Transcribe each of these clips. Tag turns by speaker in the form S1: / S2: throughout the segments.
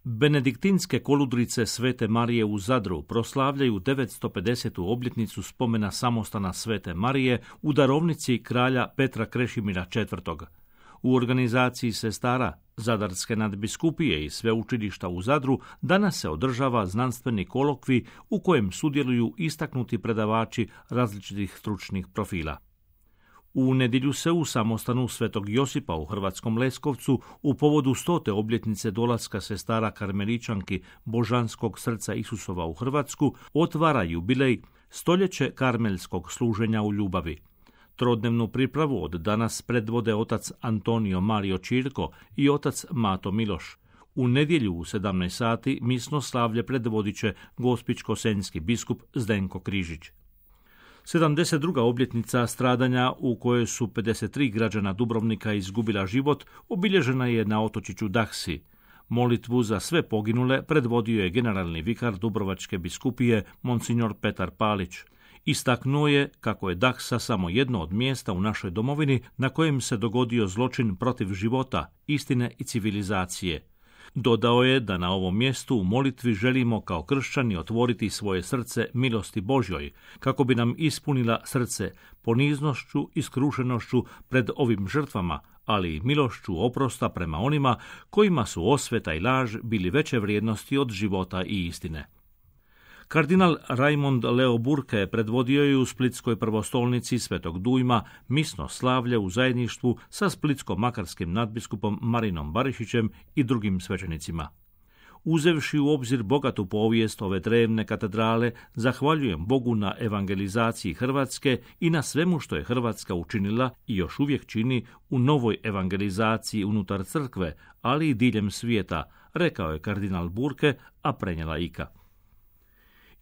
S1: Benediktinske koludrice Svete Marije u Zadru proslavljaju 950. obljetnicu spomena samostana Svete Marije u darovnici kralja Petra Krešimira IV. U organizaciji sestara Zadarske nadbiskupije i sveučilišta u Zadru danas se održava znanstveni kolokvij u kojem sudjeluju istaknuti predavači različitih stručnih profila. U nedjelju se u samostanu Svetog Josipa u Hrvatskom Leskovcu u povodu 100. obljetnice dolaska sestara karmeličanki Božanskog srca Isusova u Hrvatsku otvara jubilej stoljeće karmelskog služenja u ljubavi. Trodnevnu pripravu od danas predvode otac Antonio Mario Čirko i otac Mato Miloš. U nedjelju u 17 sati misno slavlje predvodit će gospićko-senjski biskup Zdenko Križić. 72. obljetnica stradanja u kojoj su 53 građana Dubrovnika izgubila život obilježena je na otočiću Dahsi. Molitvu za sve poginule predvodio je generalni vikar Dubrovačke biskupije Monsignor Petar Palić. Istaknuo je kako je Dahsa samo jedno od mjesta u našoj domovini na kojem se dogodio zločin protiv života, istine i civilizacije. Dodao je da na ovom mjestu u molitvi želimo kao kršćani otvoriti svoje srce milosti Božjoj, kako bi nam ispunila srce poniznošću i skrušenošću pred ovim žrtvama, ali i milošću oprosta prema onima kojima su osveta i laž bili veće vrijednosti od života i istine. Kardinal Raimond Leo Burke predvodio je u Splitskoj prvostolnici Svetog Dujma misno slavlje u zajedništvu sa splitsko-makarskim nadbiskupom Marinom Barišićem i drugim svećenicima. Uzevši u obzir bogatu povijest ove drevne katedrale, zahvaljujem Bogu na evangelizaciji Hrvatske i na svemu što je Hrvatska učinila i još uvijek čini u novoj evangelizaciji unutar crkve, ali i diljem svijeta, rekao je kardinal Burke, a prenijela Ika.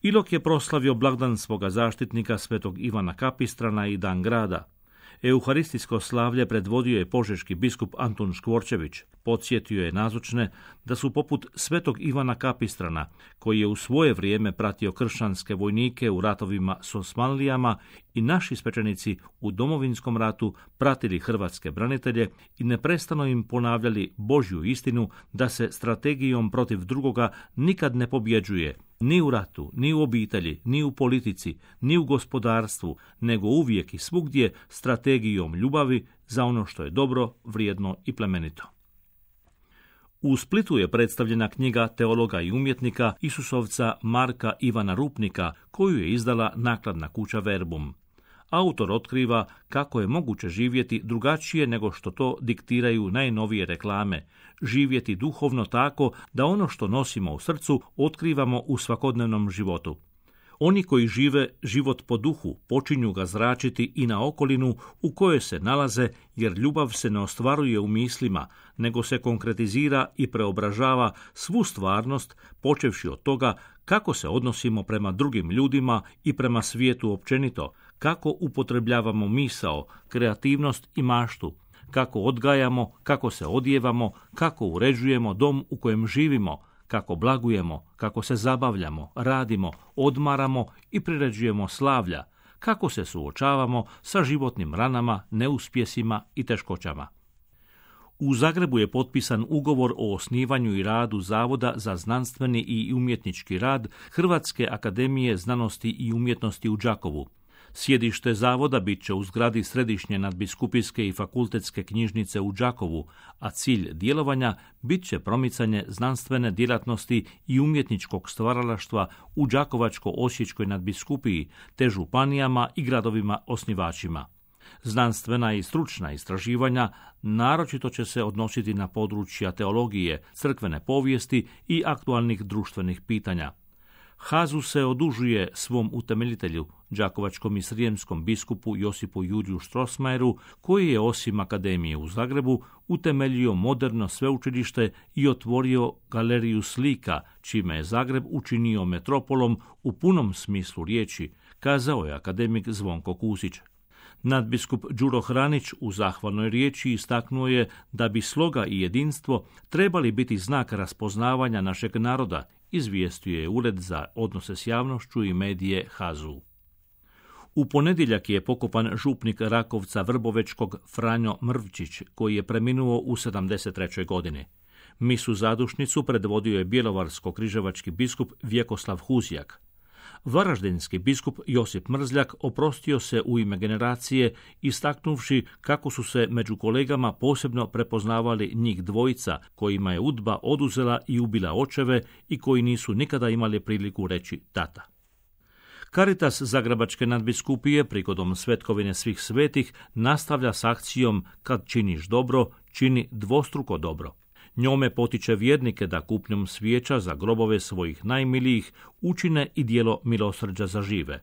S1: Ilok je proslavio blagdan svoga zaštitnika svetog Ivana Kapistrana i dan grada. Euharistijsko slavlje predvodio je požeški biskup Antun Škvorčević. Podsjetio je nazočne da su poput svetog Ivana Kapistrana, koji je u svoje vrijeme pratio kršćanske vojnike u ratovima s Osmanlijama, i naši svećenici u Domovinskom ratu pratili hrvatske branitelje i neprestano im ponavljali Božju istinu da se strategijom protiv drugoga nikad ne pobjeđuje, ni u ratu, ni u obitelji, ni u politici, ni u gospodarstvu, nego uvijek i svugdje strategijom ljubavi za ono što je dobro, vrijedno i plemenito. U Splitu je predstavljena knjiga teologa i umjetnika Isusovca Marka Ivana Rupnika, koju je izdala nakladna kuća Verbum. Autor otkriva kako je moguće živjeti drugačije nego što to diktiraju najnovije reklame, živjeti duhovno tako da ono što nosimo u srcu otkrivamo u svakodnevnom životu. Oni koji žive život po duhu počinju ga zračiti i na okolinu u kojoj se nalaze, jer ljubav se ne ostvaruje u mislima, nego se konkretizira i preobražava svu stvarnost, počevši od toga kako se odnosimo prema drugim ljudima i prema svijetu općenito, kako upotrebljavamo misao, kreativnost i maštu, kako odgajamo, kako se odjevamo, kako uređujemo dom u kojem živimo, kako blagujemo, kako se zabavljamo, radimo, odmaramo i priređujemo slavlja, kako se suočavamo sa životnim ranama, neuspjesima i teškoćama. U Zagrebu je potpisan ugovor o osnivanju i radu Zavoda za znanstveni i umjetnički rad Hrvatske akademije znanosti i umjetnosti u Đakovu. Sjedište zavoda bit će u zgradi Središnje nadbiskupijske i fakultetske knjižnice u Đakovu, a cilj djelovanja bit će promicanje znanstvene djelatnosti i umjetničkog stvaralaštva u Đakovačko-osječkoj nadbiskupiji, te županijama i gradovima osnivačima. Znanstvena i stručna istraživanja naročito će se odnositi na područja teologije, crkvene povijesti i aktualnih društvenih pitanja. HAZU se odužuje svom utemeljitelju, đakovačkom i srijemskom biskupu Josipu Juriju Strossmayeru, koji je osim akademije u Zagrebu utemeljio moderno sveučilište i otvorio galeriju slika, čime je Zagreb učinio metropolom u punom smislu riječi, kazao je akademik Zvonko Kusić. Nadbiskup Đuro Hranić u zahvalnoj riječi istaknuo je da bi sloga i jedinstvo trebali biti znak raspoznavanja našeg naroda, izvijestio je Ured za odnose s javnošću i medije HAZU. U ponedjeljak je pokopan župnik Rakovca Vrbovečkog Franjo Mrvčić, koji je preminuo u 73. godini. Misu zadušnicu predvodio je bjelovarsko-križevački biskup Vjekoslav Huzjak. Varaždinski biskup Josip Mrzljak oprostio se u ime generacije, istaknuvši kako su se među kolegama posebno prepoznavali njih dvojica kojima je UDBA oduzela i ubila očeve i koji nisu nikada imali priliku reći tata. Caritas Zagrebačke nadbiskupije prigodom Svetkovine svih svetih nastavlja s akcijom Kad činiš dobro, čini dvostruko dobro. Njome potiče vjernike da kupnjom svijeća za grobove svojih najmilijih učine i djelo milosrđa za žive.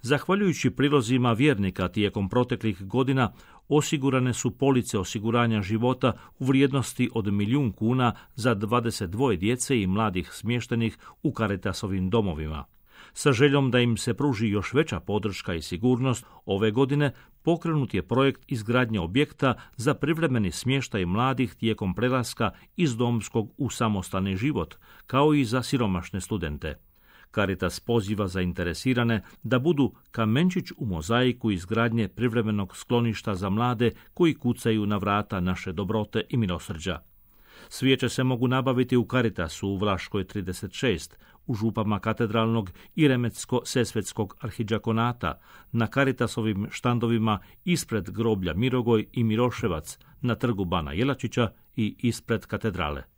S1: Zahvaljujući prilozima vjernika tijekom proteklih godina osigurane su police osiguranja života u vrijednosti od 1.000.000 kuna za 22 djece i mladih smještenih u Caritasovim domovima. Sa željom da im se pruži još veća podrška i sigurnost, ove godine pokrenut je projekt izgradnje objekta za privremeni smještaj mladih tijekom prelaska iz domskog u samostalni život, kao i za siromašne studente. Caritas poziva zainteresirane da budu kamenčić u mozaiku izgradnje privremenog skloništa za mlade koji kucaju na vrata naše dobrote i milosrđa. Svijeće se mogu nabaviti u Caritasu u Vlaškoj 36, u župama Katedralnog i Remetsko-Sesvetskog arhidžakonata, na Caritasovim štandovima ispred groblja Mirogoj i Miroševac, na trgu Bana Jelačića i ispred katedrale.